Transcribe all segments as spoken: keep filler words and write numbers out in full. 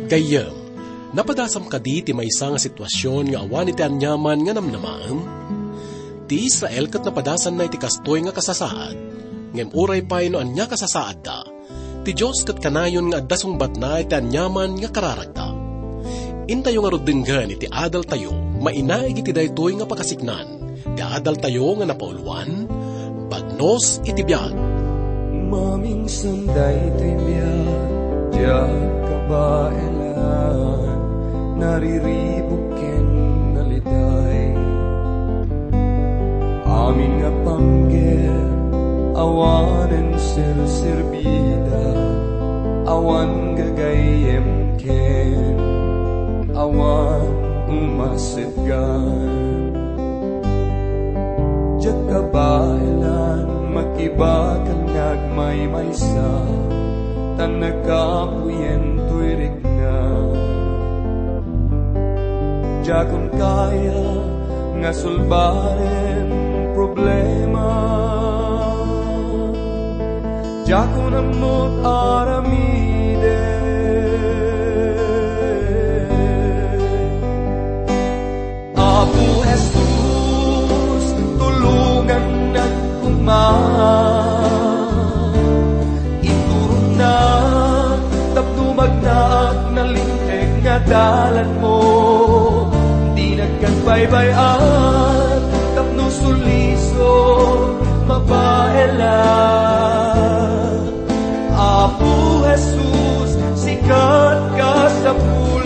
Gayyem, napadasam kadi ti maysa nga situasion nga awan iti aniaman nga namnamaem? Ti Israel ket napadasanna iti kastoy nga kasasaad, ngem uray pay no ania kasasaadda, ti Dios ket kanayon nga adda sungbatna iti aniaman nga kararagda. Intayo ngarud denggen iti adaltayo mainaig iti daytoy nga pakasiknan. Ti adaltayo nga napauluan, Bagnos iti biag. Mamingsan daytoy biag, diak kabaelan, nariribuk ken naliday. Amin nga panggep, awanen serserbida, awan gagayyem ken awan umasetgan. Diak kabaelan, makibakan nga agmaymaysa, tan nagkapuyen toy rikna. Diakon kaya nga sulbaren problema. Diakon ammot aramiden. Apo Jesus, tulongannak koma. Iturongnak tapno magnaak nalinteg nga dalanmo. Dinak agbaybay-an tapno sulisog, mabaelan. Apo Jesus, sika ti kasapulan.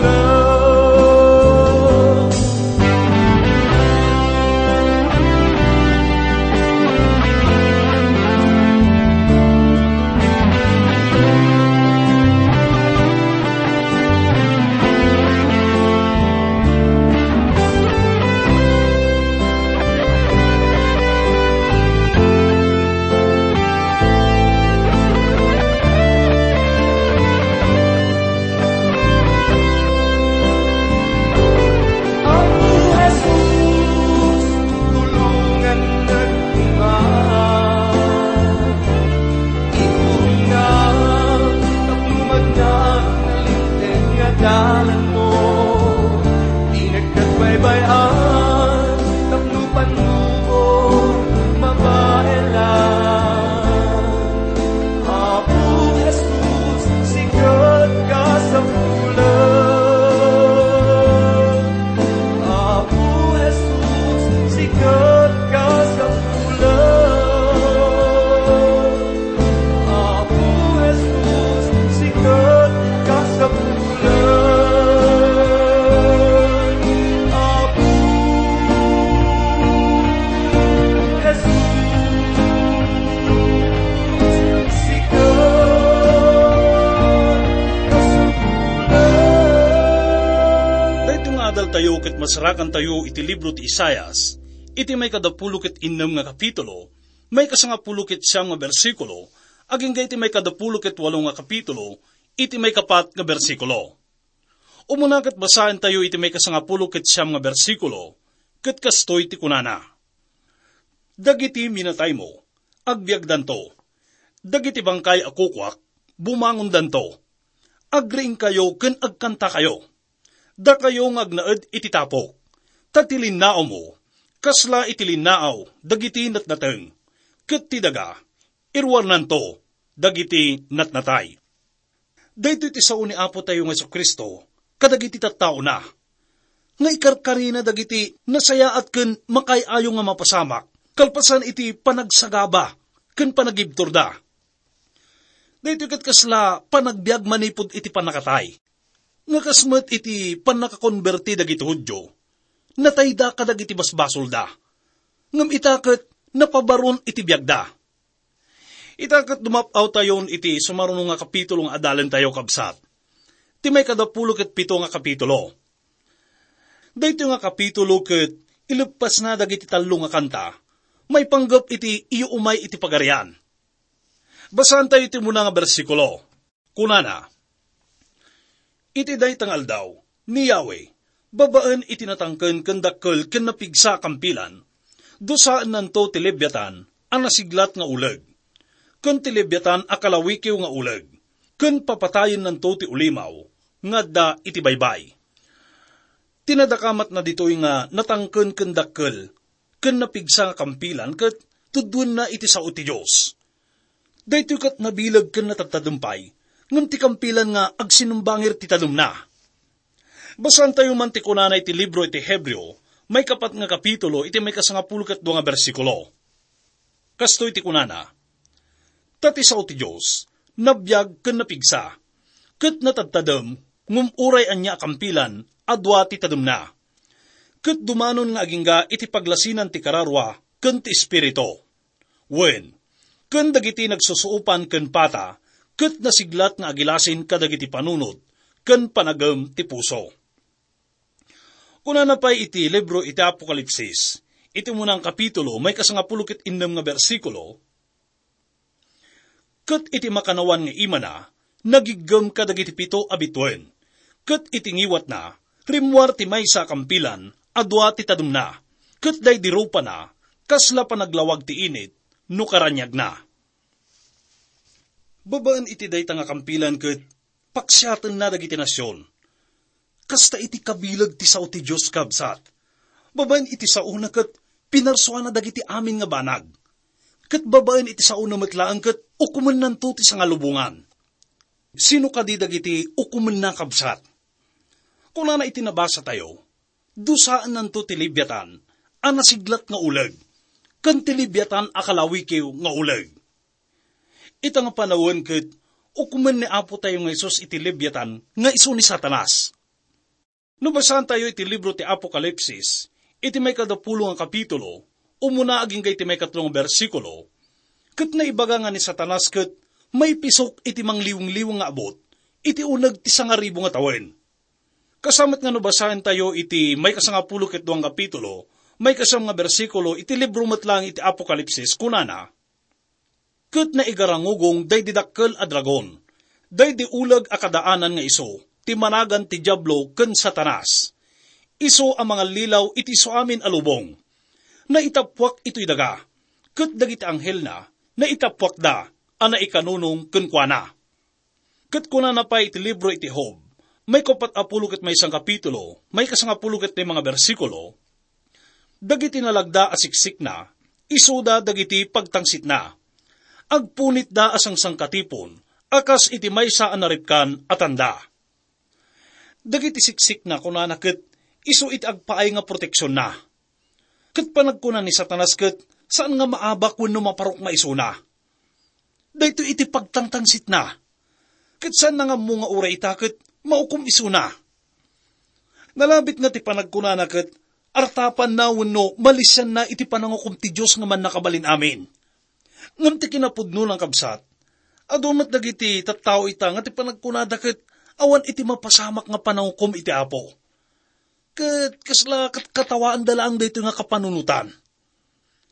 Apo Jesus, tulongannak koma. Iturongnak tapno magnaak nalinteg nga dalanmo. Dinak agbaybay-an tapno pannubo, mabaelan. Apo Jesus, sika ti kasapulan. Apo Jesus, sika ti kasapulan. Apo Jesus, sika ti kasapulan. Apo Jesus, sika ti kasapulan. Daytoy nga adaltayo ket masarakantayo iti libro ti Isaias, iti maikadapulo ket innem nga kapitulo, maikasangapulo ket siam nga bersikulo, agingga iti maikadapulo ket walo nga kapitulo, iti maikapat nga bersikulo. Umuna ket basaentayo iti maikasangapulo ket siam nga bersikulo, ket kastoy ti kunana: Dagiti minataymo, agbiagdanto. Dagiti bangkay a kukuak, bumangondanto. Agriingkayo ken agkantakayo. Dakayo nga agnaed iti tapok, ta ti linnaawmo, kasla iti linnaaw dagiti natnateng, ket ti daga, iruarnanto dagiti natnatay. Daytoy ti sao ni Apotayo nga Jesu-Cristo kadagiti tattaona, nga ikarkarina dagiti nasayaat ken makaay-ayo nga mapasamak, kalpasan iti panagsagaba ken panagibturda. Daytoy ket kasla panagbiag manipud iti pannakatay, nga kas met iti pannakakonberti dagiti Judio, natayda kadagiti basbasolda, ngem ita ket napabaron iti biagda. Ita ket dumap-awtayon iti sumaruno nga kapitulo nga adalentayo, kabsat. Ti maikadapulo ket pito nga kapitulo. Daytoy nga kapitulo ket ileppasna dagiti tallo nga kanta maipanggep iti iyo umay iti Pagarian. Basaentayo ti umuna nga bersikulo. Kunana: Iti dayta nga aldaw, ni Yahweh, babaen iti natangken ken dakkel ken napigsa a kampilan, dusaennanto ti Leviatan a nasiglat nga uleg, ken ti Leviatan a kalawikiw nga uleg, ken papatayennanto ti ulimaw, nga adda iti baybay. Ti nadakamatna ditoy nga natangken ken dakkel ken napigsa nga kampilan ket tudduenna iti sao ti Dios. Daytoy ket nabileg ken natadtadem pay, ngem ti kampilan nga agsinumbangir ti tademna. Basaentayo man ti kunana iti libro iti Hebreo, maikapat nga kapitulo, iti maikasangapulo ket dua nga bersikulo. Kastoy ti kunana, "Ta ti sao ti Dios, nabiag ken napigsa, ket natadtadem, ngem uray ania a kampilan, adua ti tademna. Ket dumanon nga agingga iti paglasinan ti kararua ken ti espiritu." Wen, ken dagiti nagsusuopan ken pata, ket nasiglat nga agilasin kadagiti panunot ken panagem ti puso. Kunana pay iti libro iti Apokalipsis, iti umuna nga kapitulo, maikasangapulo ket innem nga bersikulo, "Ket iti makannawan nga imana, nagiggem kadagiti pito a bituen, ket iti ngiwatna, rimmuar ti maysa a kampilan a dua ti tademna, ket daydi rupana, kasla panaglawag ti init no karaniagna." Babaen iti dayta nga kampilan ket paksiatenna dagiti nasion. Kasta iti kabileg ti sao ti Dios, kabsat. Babaen iti saona ket pinarsuana dagiti amin nga banag. Ket babaen iti saona met laeng ket ukomennanto ti sangalubongan. Sino kadi dagiti ukomenna, kabsat? Kunana iti nabasatayo, "Dusaennanto ti Leviatan a nasiglat nga uleg, ken ti Leviatan a kalawikiw nga uleg." Ita nga panawen ket ukomen ni Apo tayo nga Jesus iti Leviatan nga isu ni Satanas. No basaentayo iti libro ti Apokalipsis, iti maikadapulo nga kapitulo, umuna agingga iti maikatlo nga bersikulo, ket naibaga nga ni Satanas ket maipisok iti mangliwliwang nga abut iti uneg ti sangaribu nga tawen. Kasamet nga no basaentayo iti maikasangapulo ket dua nga kapitulo, maikasam nga bersikulo iti libro met laeng iti Apokalipsis, kunana, "Ket naigarangugong daydi dakkel a dragon, daydi uleg a kadaanan nga isu ti managan ti Diablo ken Satanas. Isu a mangallilaw iti isuamin a lubong. Naitappuak itoy daga, ket dagiti anghelna naitappuakda a naikanunong kenkuana." Ket kunana pay iti libro iti Job, maikaupat a pulo ket maysa nga kapitulo, maikasangapulo ket lima nga bersikulo, "Dagiti nalagda a siksikna, isuda dagiti pagtangsitna. Agpunitda a sangsangkatipon, a kas iti maysa a naripkan a tanda." Dagiti siksikna, kunana, ket isu iti agpaay nga proteksionna. Ket panagkuna ni Satanas ket saan nga maabak wenno maparukma isuna. Daytoy iti pagtangtangsitna. Ket saanna nga ammo nga uray ita ket maukom isuna. Nalabit nga ti panagkunana ket artapanna wenno malisianna iti panangukom ti Dios nga Mannakabalin-amin. Ngem ti kinapudnona, kabsat, adu met dagiti tattao ita nga ti panagkunada ket awan iti mapasamak nga panangukom iti Apo. Ket kasla kat-, katawaanda laeng daytoy nga kapanunotan.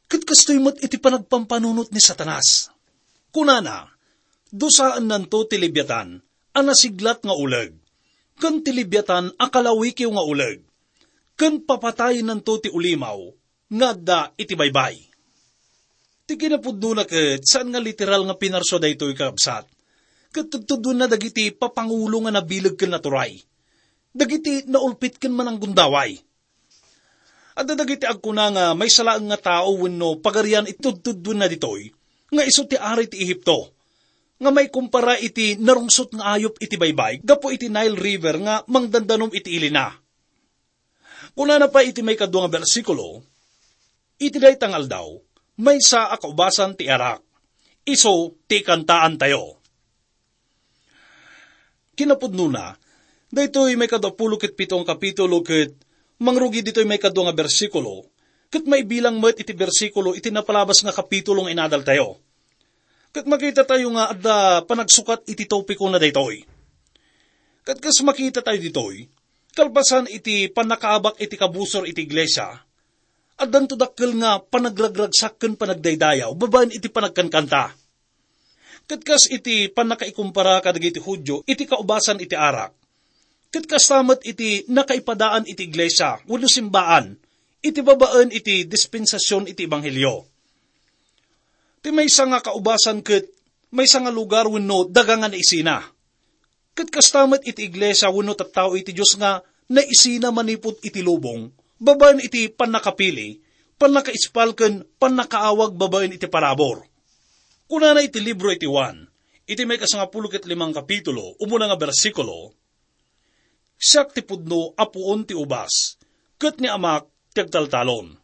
Ket kastoy met iti panagpampanunot ni Satanas. Kunana, "Dusaennanto ti Leviatan a nasiglat nga uleg, ken ti Leviatan a kalawikiw nga uleg, ken papatayennanto ti ulimaw nga adda iti baybay." Ti kinapudnona ket saan nga literal nga pinarsua daytoy, kakabsat. Ket tudtuduenna dagiti papangulo nga nabileg ken naturay, dagiti naulpit ken mananggundaway. Adda dagiti agkuna nga maysa laeng nga tao wenno pagarian iti tudtuduenna ditoy nga isu ti ari ti Ehipto, nga maikumpara iti narungsot nga ayup iti baybay gapu iti Nile River nga mangdandanom iti ilina. Kunana pay iti maikadua nga bersikulo, "Iti dayta nga aldaw, maysa a kaubasan ti arak, isu ti ikantaantayo." Kinapudnona, daytoy maikadua pulo ket pito nga kapitulo ket mangrugi ditoy maikadua nga bersikulo, ket maibilang met iti bersikulo iti napalabas nga kapitulo nga inadaltayo. Ket makitatayo nga adda panagsukat iti topikona daytoy. Ket kas makitatayo ditoy, kalpasan iti pannakaabak iti kabusor iti iglesia, addanto dakkel nga panagragragsak ken panagdaydayaw babaen iti panagkankanta. Ket kas iti pannakaikumpara kadagiti Judio iti kaubasan iti arak, ket kasta met iti nakaipadaan iti iglesia wenno simbaan iti babaen iti dispensasion iti ebanghelio. Ti maysa nga kaubasan ket maysa nga lugar wenno daga nga naisina. Ket kasta met iti iglesia wenno tattao iti Dios nga naisina manipud iti lubong, babaen iti pannakapili, pannakaispal ken pannakaawag babaen iti parabur. Kunana iti libro iti Juan, iti maikasangapulo ket limang kapitulo, umuna nga bersikulo, "Siak ti pudno a puon ti ubas, ket ni Amak ti agtaltalon."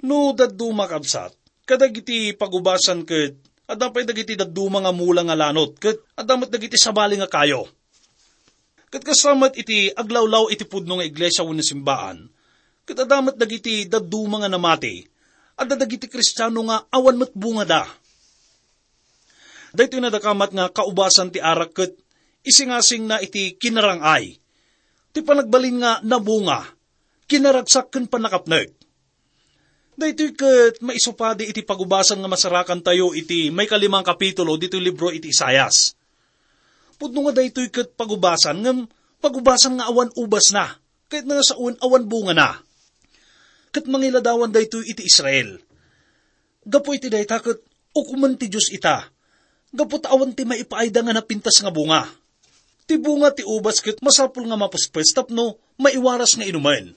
No dadduma, kabsat, kadagiti pagubasan ket adda pay dagiti dadduma nga mula nga lanot, ket adda met dagiti sabali nga kayo. Ket kasta met iti aglawlaw iti pudno nga iglesia wenno simbaan, ket adda met dagiti dadduma nga namati, adda dagiti Kristiano nga awan met bungada. Daytoy nadakamat nga kaubasan ti arak ket isingasingna iti kinarang-ay. Ti panagbalin nga nabunga, kinaragsak ken pannakapnek. Daytoy ket maisupadi iti pagubasan nga masarakantayo iti maikalimang kapitulo ditoy libro iti Isaias. Pudno nga daytoy ket pagubasan ngem pagubasan nga awan ubasna, ket nga sawen awan bungana. Ket mangiladawan daytoy iti Israel. Gapu iti dayta ket ukomen ti Dios ita, gapu ta awan ti maipaayda nga napintas nga bunga. Ti bunga ti ubas ket masapul nga mapespes tapno maiwaras nga inumen.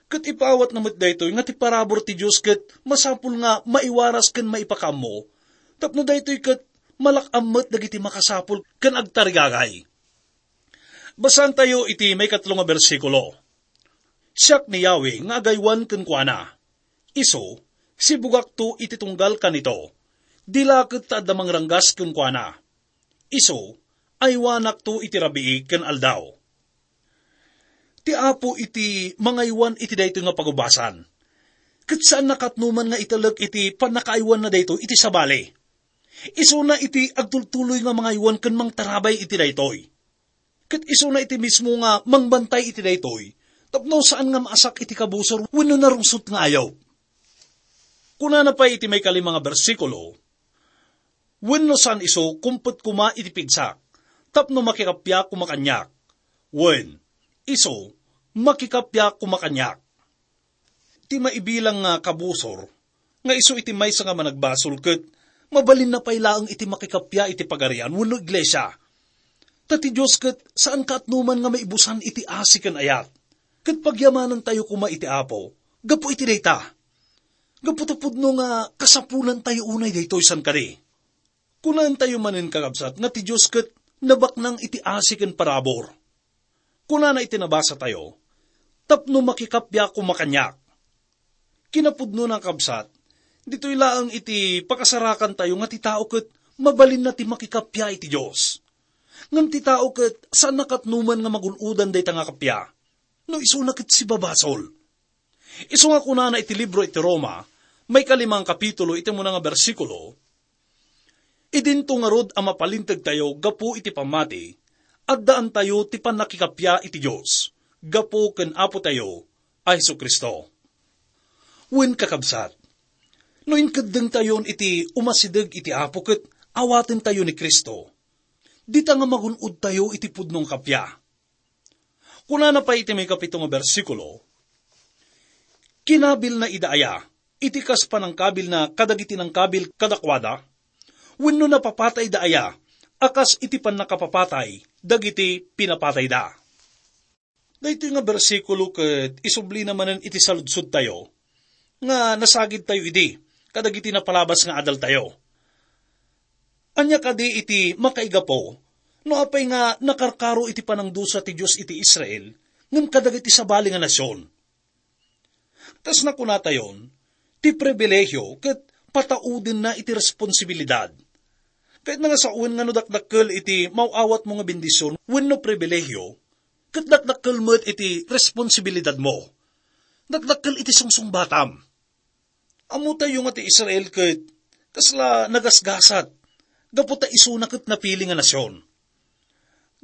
Ket ipaawatna met daytoy nga ti parabur ti Dios ket masapul nga maiwaras ken maipakaammo, tapno daytoy ket malak-am met dagiti makasapul ken agtarigagay. Basaentayo iti maikatlo nga bersikulo. "Siak ni Yahweh nga agaywan kenkuana. Isu, sibugakto iti tunggal kanito. Dila ket ta adda mangranggas kenkuana. Isu, aywanakto iti rabii ken aldaw." Ti Apo iti mangaywan iti daytoy nga pagubasan. Ket saan nakatnoman nga itelek iti pannakaaywanna daytoy iti sabali. Isuna iti agtultuloy nga mangaywan ken mangtarabay iti daytoy. Ket isuna iti mismo nga mangbantay iti daytoy, tapno saan nga maasak iti kabusor wenno narungsot nga ayup. Kunana pay iti maikalima nga bersikulo, "Wenno saan isu, kumpet koma iti pigsak, tapno makikappia koma kaniak. Wen, isu, makikappia koma kaniak." Ti maibilang nga kabusor nga isu iti maysa nga managbasol ket mabalinna pay laeng iti makikappia iti pagarian wenno iglesia. Ta ti Dios ket saan kaatnoman nga maibusan iti asi ken ayat. Ket pagyamanantayo koma iti Apo gapu iti dayta. Gapu ta pudno nga kasapulantayo unay daytoy, saan kadi? Kunaentayo manen, kakabsat, nga ti Dios ket nabaknang iti asi ken parabur. Kunana iti nabasatayo, "Tapno makikappia koma kaniak." Kinapudnona, kabsat, ditoy laeng iti pakasarakantayo nga ti tao ket mabalinna ti makikappia iti Dios. Ngem ti tao ket saan nakatnoman nga magul-odan dayta nga kappia, no isuna ket sibabasol. Isu nga kunana iti libro iti Roma, maikalimang kapitulo, iti umuna nga bersikulo, "Idinto ngarud a mapalintegtayo gapu iti pammati, addaantayo ti pannakikappia iti Dios, gapu ken Apotayo a Jesu-Cristo." Wen, kakabsat, no inkeddengtayon iti umasideg iti Apo ket awatentayo ni Cristo, dita nga magun-odtayo iti pudno nga kappia. Kunana pay iti maikapito nga bersikulo, "Kinabilna ida aya iti kas panangkabilna kadagiti nangkabil kadakuada? Wenno napapatayda aya a kas iti pannakapapatay dagiti pinapatayda?" Daytoy nga bersikulo ket isublina manen iti saludsodtayo nga nasagidtayo idi kadagiti napalabas nga adaltayo. Ania kadi iti makaigapu no apay nga nakarkaro iti panangdusa ti Dios iti Israel ngem kadagiti sabali nga nasion? Kas nakunatayon, ti pribilehiyo ket pataudenna iti responsibilidad. Kayatna nga sawen nga no dakdakkel iti maaw-awatmo nga bendision wenno pribilehiyo, ket dakdakkel met iti responsibilidadmo. Dakdakkel iti sungsungbatam. Ammotayo nga ti Israel ket kasla nagasgasat gapu ta isuna ket napili nga nasion.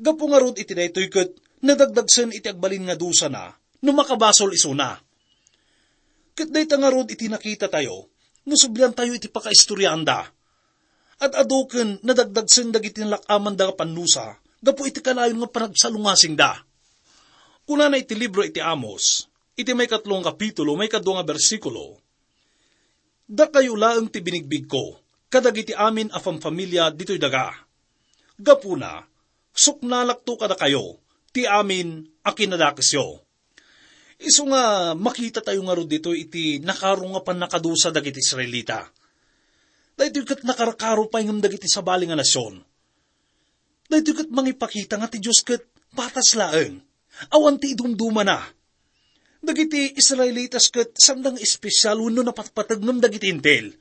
Gapu ngarud iti daytoy ket nadagdagsen iti agbalin nga dusana no makabasol isuna. Ket dayta ngarud iti nakitatayo no subliantayo iti pakaistoriaanda. Ad-adu ken nadagdagsen dagiti nalak-amanda nga pannusa gapu iti kanayon nga panagsalungasingda. Kunana iti libro iti Amos, iti maikatlo nga kapitulo, maikadua nga bersikulo, "Dakayo laeng ti binigbigko kadagiti amin a famfamilia ditoy daga. Gapuna, suknalakto kadakayo ti amin a kinadakesyo. Isu nga makitatayo ngarud ditoy iti nakaro nga pannakadusa dagiti Israelita. Daytoy ket nakarkaro pay ngem dagiti sabali nga nasion. Daytoy ket mangipakita nga ti Dios ket patas laeng. Awan ti idumdumana. Dagiti Israelitas ket sanda nga espesial wenno napatpateg ngem dagiti Hentil.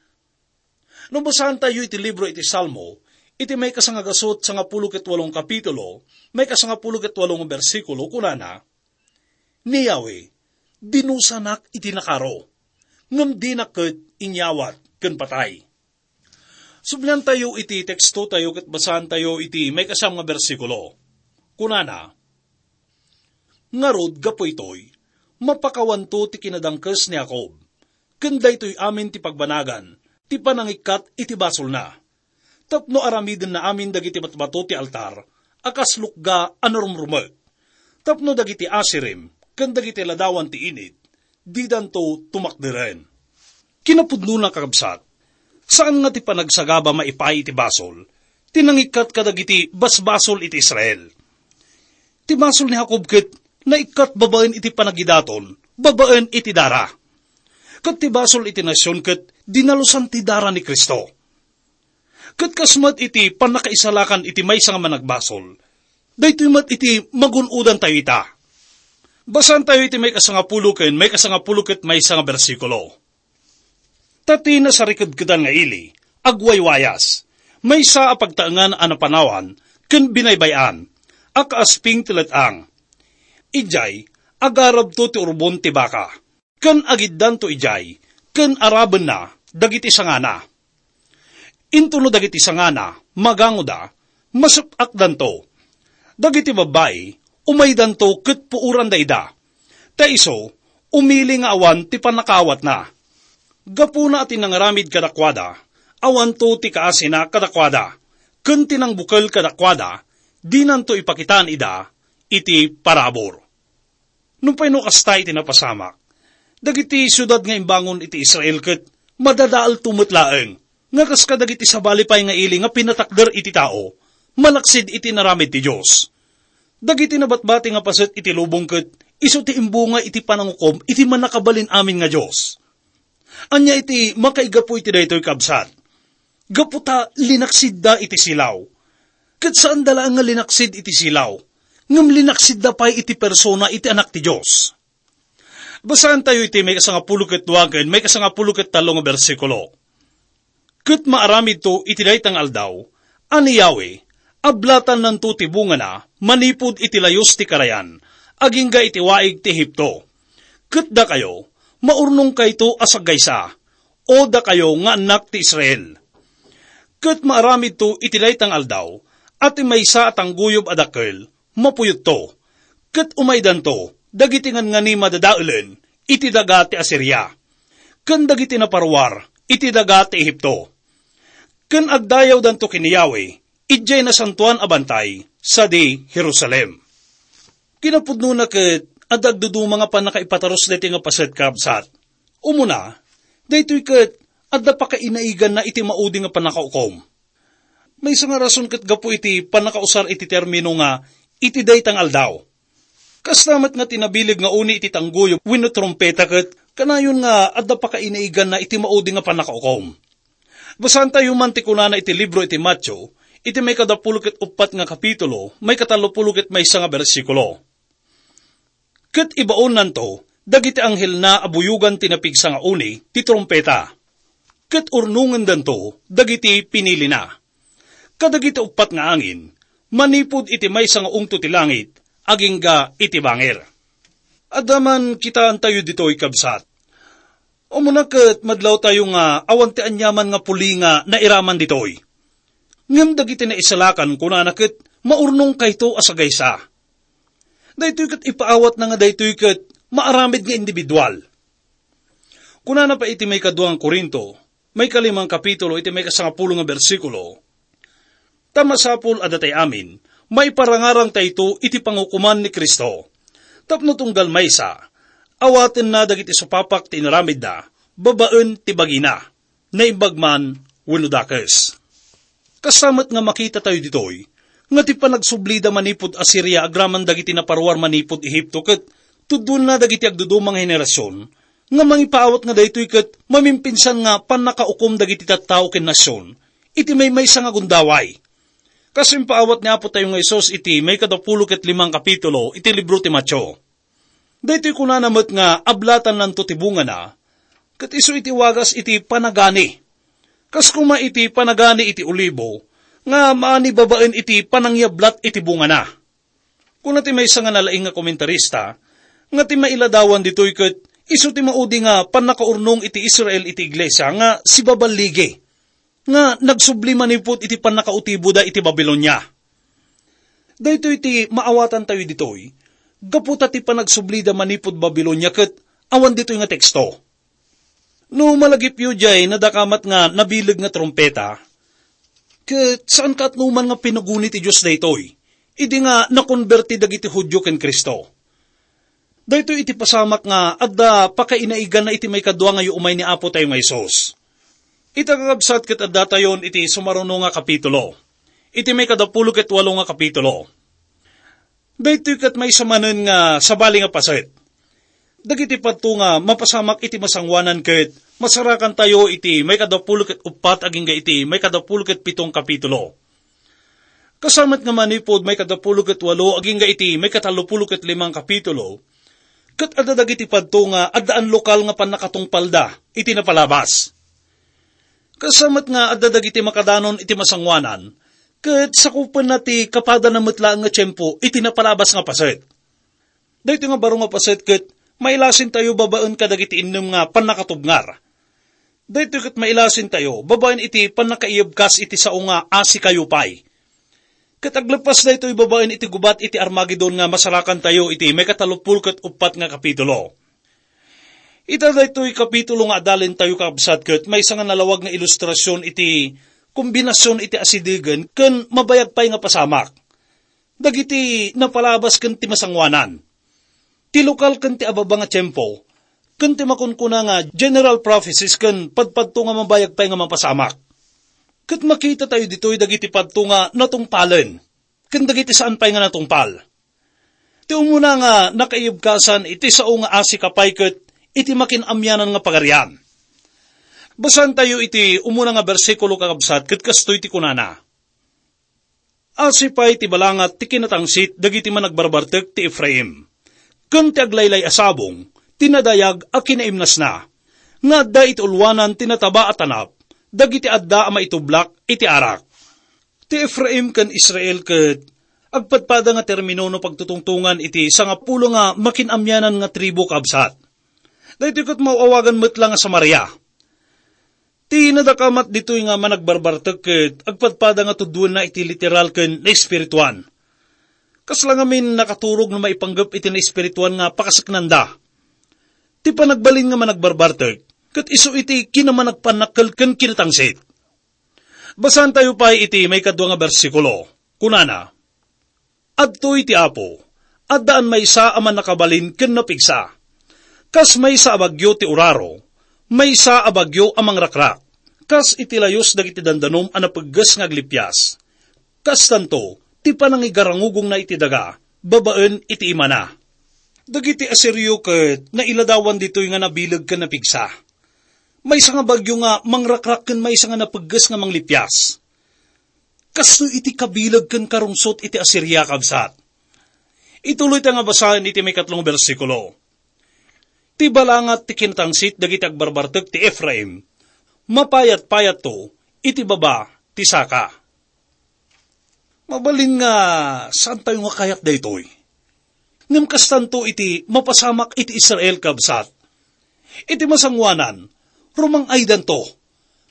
No basaantayo iti libro iti Salmo, iti maikasangagasut sangapulo ket walong kapitulo, maikasangapulo ket walong bersikulo, kunana, "Ni Yahweh, dinusanak iti nakaro, ngem dinak ket inyawat ken patay." Subliantayo iti tekstotayo ket basaantayo iti maikasam nga bersikulo. Kunana, "Ngarud, gapu itoy, mapakawanto ti kinadangkes ni Jacob, ken daytoy amin ti pagbanagan ti panangikkat iti basolna, tapno aramidenna amin dagiti batbato ti altar a kas lukga a narumrumek, tapno dagiti asirim ken dagiti ladawan ti init didanto tumakderen." Kinapudnona, kakabsat, saan nga ti panagsagaba maipaay iti basol ti nangikkat kadagiti basbasol iti Israel. Ti basol ni Jacob ket naikkat babaen iti panagidaton, babaen iti dara. Ket ti basol iti nasion ket dinalusan ti dara ni Cristo. Ket kas met iti pannakaisalakan iti maysa nga managbasol, daytoy met iti magun-odantayo ita. Basaantayo iti maikasangapulo ken maikasangapulo ket maysa nga bersikulo. Ta ti nasarikedkedan nga ili, agwaywayas, maysa a pagtaengan a napanawan ken binaybay-an, a kaasping ti let-ang. Idiay, agarabto ti urbon ti baka, ken agiddanto idiay, ken arabenna dagiti sangana. Intono dagiti sangana, magangoda, masep-akdanto. Dagiti babbai, umaydanto ket puoranda ida. Ta isu, umili nga awan ti pannakaawatna. Gapuna a ti nangaramid kadakuada, awanto ti kaasina kadakuada, ken ti nangbukel kadakuada, dinanto ipakitaan ida iti parabur. Nupay no kasta iti napasamak, dagiti siudad nga imbangon iti Israel ket madadaelto met laeng, nga kas kadagiti sabali pay nga ili nga pinatakder iti tao, malaksid iti naramid ti Dios. Dagiti nabatbati nga paset iti lubong ket isu ti imbunga iti panangukom iti Mannakabalin-amin nga Dios. Ania iti makaigapu iti daytoy, kabsat? Gapu ta linaksidda iti silaw. Ket saanda laeng nga linaksid iti silaw, ngem linaksidda pay iti persona iti Anak ti Dios. Basaantayo iti maikasangapulo ket dua ken maikasangapulo ket tallo nga bersikulo. "Ket maaramidto iti dayta nga aldaw a ni Yahweh, ablatannanto ti bungana manipud iti layus ti karayan, agingga iti waig ti Egipto. Ket dakayo, maurnongkayto a saggaysa, O dakayo nga annak ti Israel. Ket maaramidto iti dayta nga aldaw a ti maysa a tanggoyub a dakkel mapuyotto, ket umaydanto dagiti ngannani madadaelen iti daga ti Asiria, ken dagiti naparuar iti daga ti Egipto. Ken agdayawdanto ken ni Yahweh idiay nasantoan a bantay sadi Jerusalem." Kinapudnona ket adda agduduma nga pannakaipatarus daytoy nga paset, kabsat. Umuna, daytoy ket adda pakainaiganna iti maudi nga pannakaukom. Maysa nga rason ket gapu iti pannakausar iti termino nga "iti dayta nga aldaw". Kasta met nga ti nabileg nga uni iti tanggoyub wenno trumpeta ket kanayon nga adda pakainaiganna iti maudi nga pannakaukom. Basaantayo man ti kunana iti libro iti Mateo, iti maikadapulo ket uppat nga kapitulo, maikatallopulo ket maysa nga bersikulo. "Ket ibaonnanto dagiti anghelna a buyogan ti napigsa nga uni ti trumpeta, ket urnongendanto dagiti pinilina, kadagiti uppat nga angin, manipud iti maysa nga ungto ti langit agingga iti bangir." Adda man kitaentayo ditoy, kabsat. Umuna ket madlawtayo nga awan ti aniaman nga puli nga nairaman ditoy. Ngem dagiti naisalakan kunana ket maurnongkayto a sagaysa. Daytoy ket ipaawatna nga daytoy ket maaramid nga individual. Kunana pay iti maikadua nga Corinto, maikalimang kapitulo, iti maikasangapulo nga bersikulo, "Ta masapul a datay amin maiparangarangtayto iti pangukoman ni Cristo, tapno tunggal maysa, awatenna dagiti supapak ti inaramidda babaen ti bagina, naimbag man wenno dakes." Kasta met nga makitatayo ditoy, nga ti panagsublida manipud Asiria agraman dagiti naparuar manipud Ehipto ket tudonna dagiti agduduma nga henerasion, nga mangipaawat nga daytoy ket mamimpinsan nga pannakaukom dagiti tattao ken nasion iti maymaysa nga gundaway. Kas impaawat ni Apo tayo nga Jesus iti maikadapulo ket limang kapitulo iti libro ti Mateo. Daytoy kunana met nga ablatannanto ti bungana, ket isu iti wagas iti panagani. Kas koma iti panagani iti olibo, nga maani babaen iti panangyablat iti bungana. Kuna ti maysa nga nalaing nga komentarista, nga ti mailadawan ditoy ket isu ti maudi nga pannakaurnong iti Israel iti iglesia nga sibaballigi, nga nagsubli manipud iti pannakautiboda iti Babilonia. Daytoy ti maawatantayo ditoy, gapu ta ti panagsublida manipud Babilonia ket awan ditoy nga teksto. No malagipyo diay nadakamat nga nabileg nga trumpeta, ket saan kaatnuman nga pinaguni ti Dios daytoy, idi nga nakonberti dagiti Judio ken Cristo. Daytoy iti pasamak nga adda pakainaiganna iti maikadua nga yuumay ni Apo tayo nga Jesus. Ita, kakabsat, ket addatayon iti sumaruno nga kapitulo, iti maikadapulo ket walo nga kapitulo. Daytoy ket maysa manen nga sabali nga paset. Dagiti padto nga mapasamak iti masangoanan ket masarakantayo iti maikadapulo ket uppat agingga iti maikadapulo ket pitong kapitulo. Kasamet nga manipud maikadapulo ket walo agingga iti maikatallopulo ket limang kapitulo, ket adda dagiti padto nga addaan lokal nga pannakatungpalda iti napalabas. Kasamet nga adda dagiti makadanon iti masangoanan, ket sakupenna ti kapadana met laeng nga tiempo iti napalabas nga paset. Daytoy nga baro nga paset ket mailasintayo babaen kadagiti innem nga pannakatubngar. Daytoy ket mailasintayo babaen iti pannakaiyebkas iti sao nga asi kayo pay. Ket aglepas daytoy babaen iti gubat iti Armagedon nga masarakantayo iti maikatallopulo ket uppat nga kapitulo. Ita, daytoy kapitulo nga adalentayo, kakabsat, ket maysa nga nalawag nga ilustrasion iti kombinasion iti asidegen ken mabayag pay nga pasamak. Dagiti napalabas ken ti masangoanan. Ti lokal ken ti ababa nga tiempo, ken ti makunkuna nga general prophecies ken padpadto nga mabayag pay nga mapasamak. Ket makita tayo ditoy dagiti padto nga natungpalen, ken dagiti saan pay nga natungpal. Ti umuna nga nakaiyebkasan iti sao nga asi ka pay ket iti makin-amianan nga pagarian. Basaentayo iti umuna nga bersikulo, kakabsat, ket kastoy ti kunana, "Asi pay ti balangat ti kinatangsit dagiti managbarbartek ti Efraim, ken ti aglaylay a sabong ti nadayag a kinaimnasna, nga adda iti ulwanan ti nataba a tanap dagiti adda a maitublak iti arak." Ti Efraim ken Israel ket agpadpada nga termino no pagtutungtongan iti sangapulo nga makin-amianan nga tribu, kabsat. Daytoy ket maaw-awagan met la nga Samaria. Ti nadakamat ditoy nga managbarbartek ket agpadpada nga tuddoenna iti literal ken naespirituan. Kasla ngamin nakaturog no maipanggep iti naespirituan nga pakaseknanda. Ti panagbalin nga managbarbartek ket isu iti kinamanagpannakkel ken kinatangsit. Basaentayo pay iti maikadua nga bersikulo. Kunana, "Adtoy ti Apo, addaan maysa a mannakabalin ken napigsa. Kas maysa a bagyo ti uraro, maysa a bagyo a mangrakrak, kas iti layus dagiti dandanom a napegges nga aglipias. Kastanto ti panangigarangugongna iti daga babaen iti imana." Dagiti Asirio ket nailadawan ditoy nga nabileg ken napigsa. Maysa nga bagyo nga mangrakrak ken maysa nga napegges nga manglipias. Kastoy iti kabileg ken karungsot iti Asiria, kabsat. Ituloy ta nga basaen iti maikatlo nga bersikulo. "Ti balangat ti kinatangsit dagiti agbarbartek ti Efraim, mapayat-payatto iti baba ti saka." Mabalin nga saantayo nga kayat daytoy. Ngem kastanto iti mapasamak iti Israel, kabsat. Iti masangoanan, rumang-aydanto,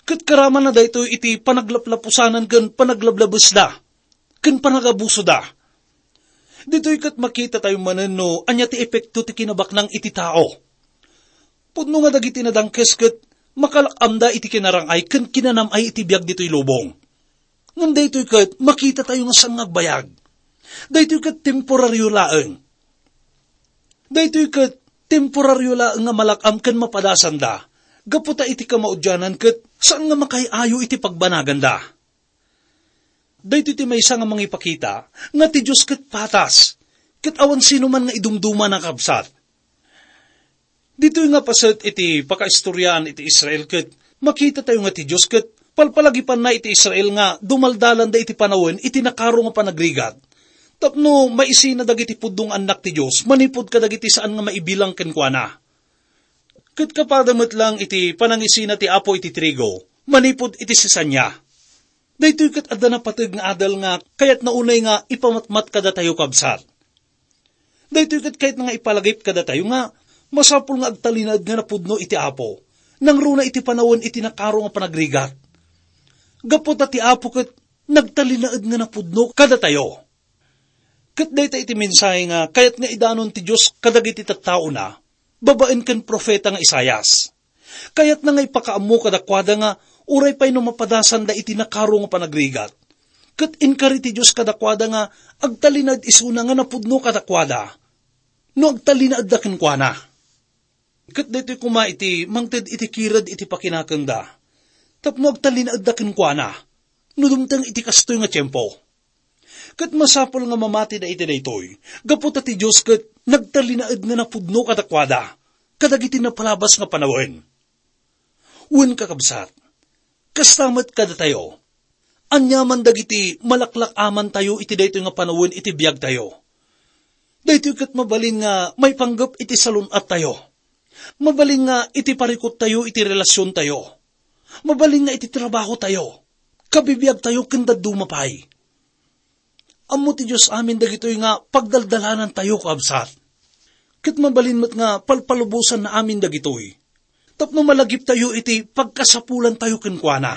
ket karamanna daytoy iti panaglaplapusanan ken panaglablabesda, ken panagabusoda. Ditoy ket makitatayo manen no ania ti epekto ti kinabaknang iti tao. Pudno nga dagiti nadangkes ket makalak-amda iti kinarang-ay ken kinanam-ay iti biag ditoy lubong. Ngem daytoy ket makitatayo nga saan nga agbayag. Daytoy ket temporario laeng. Daytoy ket temporario laeng nga malak-am ken mapadasanda, gapu ta iti kamaudianan ket saan nga makaay-ayo iti pagbanaganda. Daytoy ti maysa nga mangipakita nga ti Dios ket patas, ket awan sino man nga idumdumana, kabsat. Ditoy nga paset iti pakaistorian iti Israel, ket makitatayo nga ti Dios ket palpalagipanna iti Israel nga dumaldalanda iti panawen iti nakaro nga panagrigat. Tapno maisina dagiti pudno nga annak ti Dios manipud kadagiti saan nga maibilang kenkuana. Ket kapada met lang iti panangisina ti Apo iti trigo manipud iti sisania. Daytoy ket adda napateg nga adal nga kayatna unay nga ipamatmat kadatayo, kabsat. Daytoy ket kayatna nga ipalagip kadatayo nga masapul nga agtalinaed nga napudno iti Apo, nangruna iti panawen iti nakaro nga panagrigat. Gapu ta ti Apo ket nagtalinaed nga napudno kadatayo. Ket dayta iti mensahe nga kayat nga idanon ti Dios kadagiti tattaona, babaen ken profeta nga Isaias. Kayatna nga ipakaammo kadakuada nga uray pay no mapadasanda iti nakaro nga panagrigat, ket inkari ti Dios kadakuada nga agtalinaed isuna nga napudno kadakuada no agtalinaedda kenkuana. Ket daytoy koma iti mangted iti kired iti pakinakemda tapno agtalinaedda kenkuana no dumteng iti kastoy nga tiempo. Ket masapul nga mamatida iti daytoy, gapu ta ti Dios ket nagtalinaed nga napudno kadakuada kadagiti napalabas nga panawen. Wen, kakabsat, kasta met kadatayo. Aniaman dagiti malaklak-amantayo iti daytoy nga panawen iti biagtayo. Daytoy ket mabalin nga maipanggep iti salun-attayo. Mabalin nga iti parikuttayo iti relasiontayo. Mabalin nga iti trabahotayo, kabibiagtayo ken dadduma pay. Ammo ti Dios amin dagitoy nga pagdaldalanantayo, kabsat. Ket mabalin met nga palpalubosanna amin dagitoy tapno malagiptayo iti pagkasapulantayo kenkuana.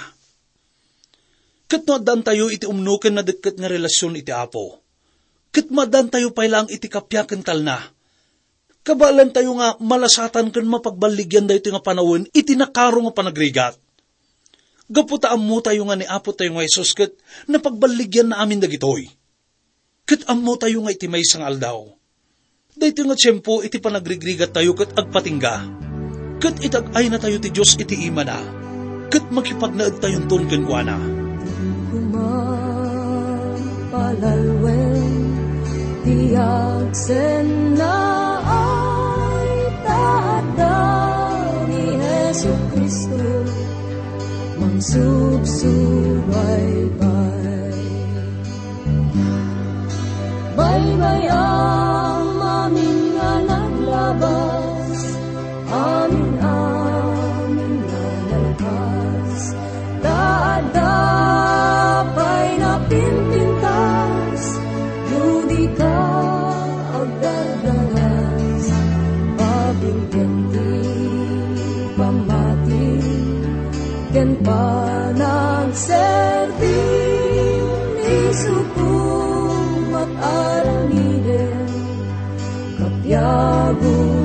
Ket no addaantayo iti umno ken nadekket nga relasion iti Apo, ket maaddaantayo pay laeng iti kappia ken talna, kabaelantayo nga malasatan ken mapagballigian daytoy nga panawen iti nakaro nga panagrigat. Gapu ta ammotayo nga ni Apotayo nga Jesus ket napagballigianna amin dagitoy. Ket ammotayo nga iti maysa nga aldaw, daytoy nga tiempo iti panagrigrigattayo ket agpatingga, ket itag-aynatayo ti Dios iti imana, ket makipagnaedtayonton kenkuana. Kumapalalwen ti agsennaay, ta adda ni Jesu-Cristo mangsubsubaybay. Baybay-am amin nga naglabas, amin-amin nga nalpas, ta adda pay napinpintas, no di ka agdardanas, pabilgen ti pammati ken panagserbi, isuko met aramiden, kapiagunden.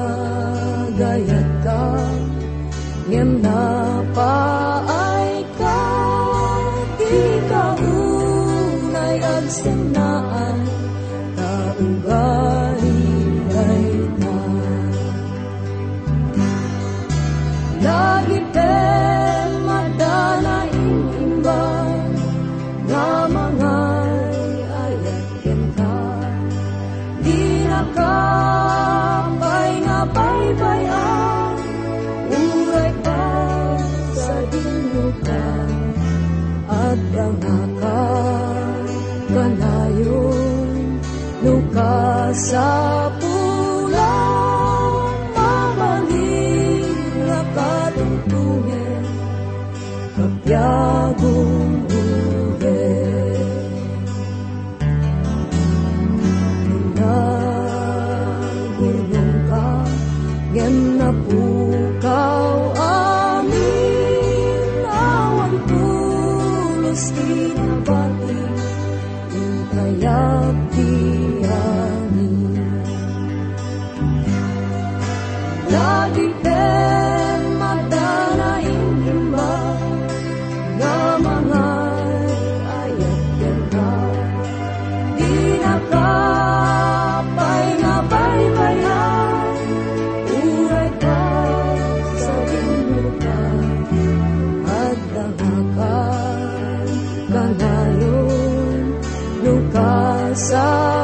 Nagayat ka, ngem napaay ka, di ka unay agsennaan, ta ugali dayta. Lagipem adda naim-imbag nga mangay-ayat kenka. Dinaka pay nga baybay-an, uray pagsadinoka. Adda nga kakanayon no kasapulan, mabalin nga katungtongen, kapiagum ulen. Nagurnongka, ngem napukaw amin, awan pulos ti nabati, intayab ti amin. Kanayon, no kasa